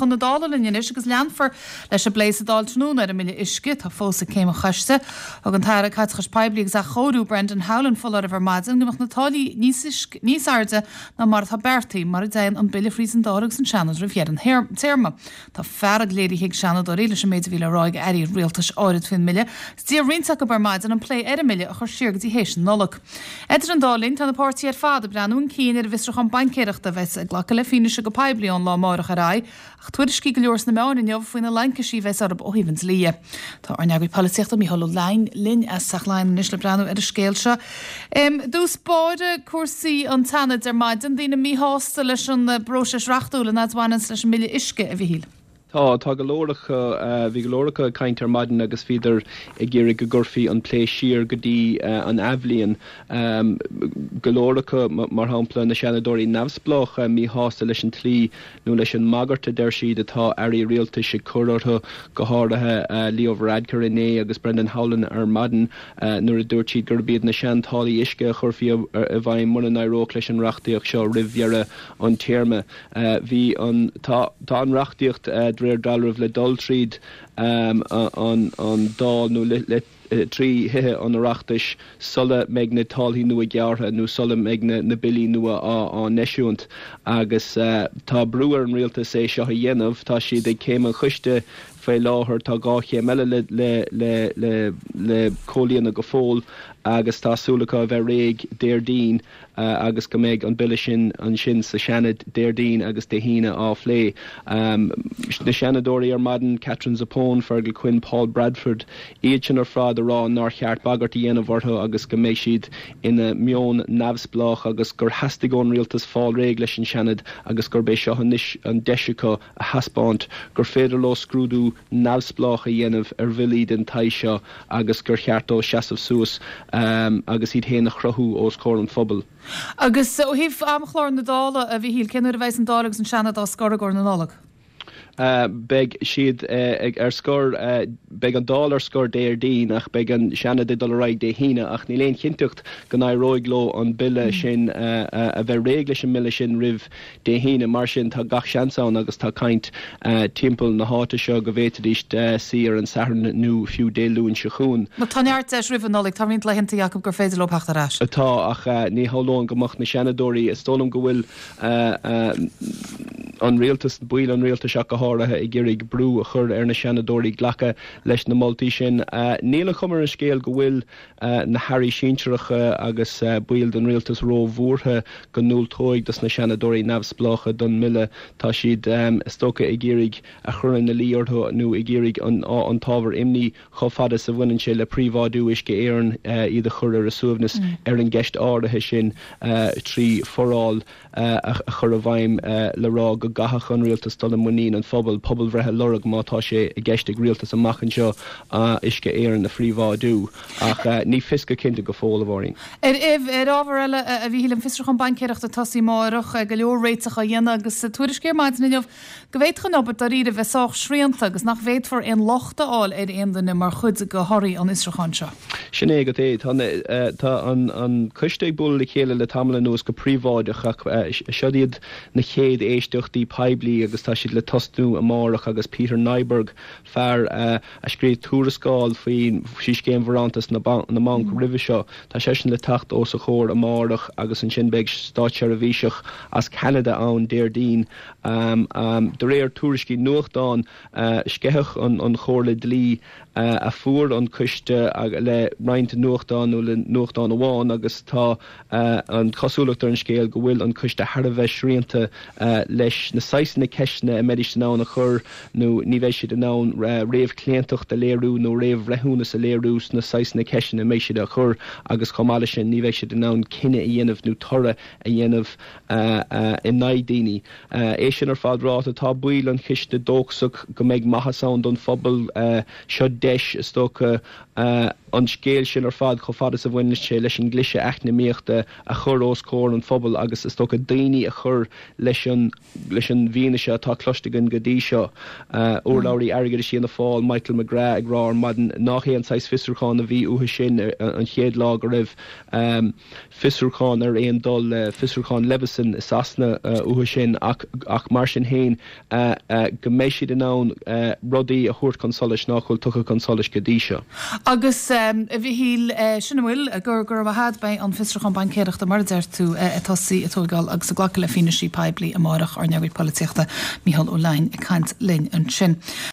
chun na Dála linn anois agus leanfar leis an bplé sa Dáil tráthnóna ar an mBille Uisce, atá fós ag Céim an Choiste. Thug an tAire Caiteachais Poiblí agus Athchóiriú, Brendan Howlin foláireamh ar maidin go mbeadh na táillí níos airde ná mar atá beartaithe mura dtéann an Bille thríd an Dáil agus an Seanad roimh dheireadh an téarma. Tá fearg léirithe ag Seanadóirí leis an méid a bhí le rá ag airí rialtais áirid faoin mBille agus d'iarr roinnt acu ar maidin an plé ar an mBille a chur siar go dtí théis na Nollag. Idir an dá linn, tá na páirtithe ar fad ag breathnú chun cinn ar an bhfiosrúchán baincéireachta a bheas ag glacadh le fianaise go poiblí ón lá amárach ar aghaidh ach tuairiscí go leor sna meáin inniu faoi na laincisí a bheas orthu ó thaobh an dlí dhe. Tá ár n-eagraí polaitíochta Mícheál Ó Leidhin linn as Teach Laighean anois le breathnú ar an scéal seo. I dtús báire, cúrsaí an tSeanaid ar maidin, daoine míshásta leis an bpróiseas reachtúil an fhad a bhaineanns leis an mBille Uisce, a Mhichíl. Tá, tá go leor acu, bhí go leor acu ag caint ar maidin agus bhíodar ag iarraidh go gcuirfí an plé siar go dtí an athbhliain. Go leor acu, mar shampla na Seanadóirí neamhspleácha, míshásta leis an tslí nó leis an mbagairt a deir siad atá airí rialtais ag cur orthu, go háirithe Leo Varadkar inné agus Brendan Howlin ar maidin nuair a dúirt siad gurb iad na sean-táillí uisce a chuirfí i bhfeidhm mura n-éireodh leis an reachtaíocht seo roimh dheireadh an téarma. Bhí an tá an reachtaíocht de réir dealraimh le dul tríd an Dáil nó le trí Thithe an Oireachtais sula mbeidh na táillí nua gearrtha nó sula mbeidh na billí nua á n-eisiúint agus tá brú ar an rialtas é seo a dhéanamh. Tá siad ag céim an choiste faoi láthair, tá 2 chéim eile le comhlíonadh go fóill agus tá súil acu a bheith réidh Déardaoin. agus go mbeidh an bille sin ansin sa Seanad Déardaoin agus Dé hAoine á phlé. Na Seanadóirí ar maidin, Katherine Zappone, Fergal Quinn, Paul Bradford, iad sin ar fad ag rá nár cheart bagairt a dhéanamh orthu agus go mbeidh siad ina meon neamhspleách agus gur theastaigh ón rialtas fáil réidh leis an Seanad agus gurb é seo anois an deis acu a thaispeáint gur féidir leo scrúdú neamhspleách a dhéanamh ar bhillí den tsaghas seo agus gur cheart dóibh seasamh suas agus iad féin a chruthú os comhair an phobail. Agus ó thaobh amchlár na Dála, a Mhichíl, cén uair a bheas an Dáil agus an Seanad á scor i gcomhair na Nollag? Beidh siad ar scor, beidh an Dáil ar scor Déardaoin ach beidh an Seanad ag dul ar aghaidh Dé hAoine ach níl aon chinnteacht go n-éireoidh leo an bille sin, a bheith réidh leis an mbille sin roimh Dé hAoine. Mar sin, tá gach seans ann agus tá caint timpeall na háite seo go bhféadfaidís suí ar an Satharn nó fiú Dé Luain seo chugainn. Tá neart deis roimh an Nollaig. Tá roinnt laethanta acu gur féidir leo theacht ar ais. Tá, ach ní shamhlóinn go mbeadh na Seanadóirí, is dóigh liom go bhfuil an rialtas, baill an rialtais ach go háirithe, ag iarraidh brú a chur ar na Seanadóirí glacadh leis na moltaí sin. Níl an chuma ar an scéal go bhfuil na hairí sinsearacha agus baill den rialtas róbhuartha go ndiúltóidh dos na seanadóirí neamhspleácha don mbille. Tá siad, is dócha, ag iarraidh a chur ina luí orthu nó ag iarraidh an t-ábhar imní chomh fada is a bhaineann sé le príobháidiú Uisce Éireann iad a chur ar a suaimhneas ar an gceist áirithe sin trí foráil a chur i bhfeidhm le rá go gcaithfeadh an rialtas dul i muinín an phobail, pobalbhreith a lorg má tá sé i gceist ag rialtas amach anseo Uisce Éireann a phríobháidiú. Ach ní fios go cinnte go fóill, a Mháirín. Ar ábhar eile, a Mhíchíl, an fiosrúchán baincéireachta ag tosaí amárach, go leor réiteach á dhéanamh agus tuairiscí ar maidin inniu go bhféadfadh an obair dáiríre bheith sách srianta agus nach bhféadfar aon locht a fháil ar aon duine mar chuid de thorthaí an fhiosrúcháin seo. Sin é agat é. Tá an coiste ag bualadh le chéile le tamall anuas go príobháideach ach seod iad na chéad éisteachtaí poiblí agus tá siad le tosnú amárach agus Peter Nyberg, fear a scríobh tuarascáil faoi scéim bharántas na mbanc roimhe seo, tá seisean le teacht os a chomhair amárach agus ansin beidh státseirbhíseach as Ceanada ann Déardaoin. De réir tuairiscí nuachtán, sceitheadh an chomhairle dlí a fuair an coiste le roinnt nuachtán nó le nuachtán amháin agus tá an chosúlacht ar an scéal go bhfuil an coiste thar a bheith srianta leis na saghsanna ceisteanna a mbeidís in ann a chur nó ní bheidh siad in ann réamhchlaontacht a léiriú nó réamhbhreithiúnas a léiriú sna saghsanna ceisteanna a mbeidh siad á chur agus chomh maith leis sin ní bheidh siad in ann cinneadh a dhéanamh nó toradh a dhéanamh in aghaidh daoine. É sin ar fad ráite, tá baill an chiste dóchasach go mbeidh maitheas ann don phobal. Seo deis, is dócha, an scéal sin ar fad, chomh fada is a bhaineann sé leis an gcliseadh eacnamaíochta, a chur os comhair an phobail agus, is dócha, daoine a chur leis an. leis an bhfianaise atá cloiste againn go dtí seo. Urlabhraí Airgeadais Fhianna Fáil, Michael McGrath ag rá ar maidin nach é an saghas fiosrúcháin a bhí uathu sin an chéad lá go raibh fiosrúchán ar aon dul le fiosrúchán Leveson i Sasana uathu sin ach ach mar sin féin go mbeidh siad in ann rudaí a thabhairt chun solais nach bhfuil tugtha chun solais go dtí seo. Agus, a Mhichíl, sin a bhfuil, go raibh maith agat, beidh an fiosrúchán baincéireachta, mar a deir tú, ag tosaí ag tóigeáil agus ag glacadh le fianaisí poiblí amárach, ár n-eagraí polaitíochta, Mícheál Ó Leidhin, ag caint linn ansin.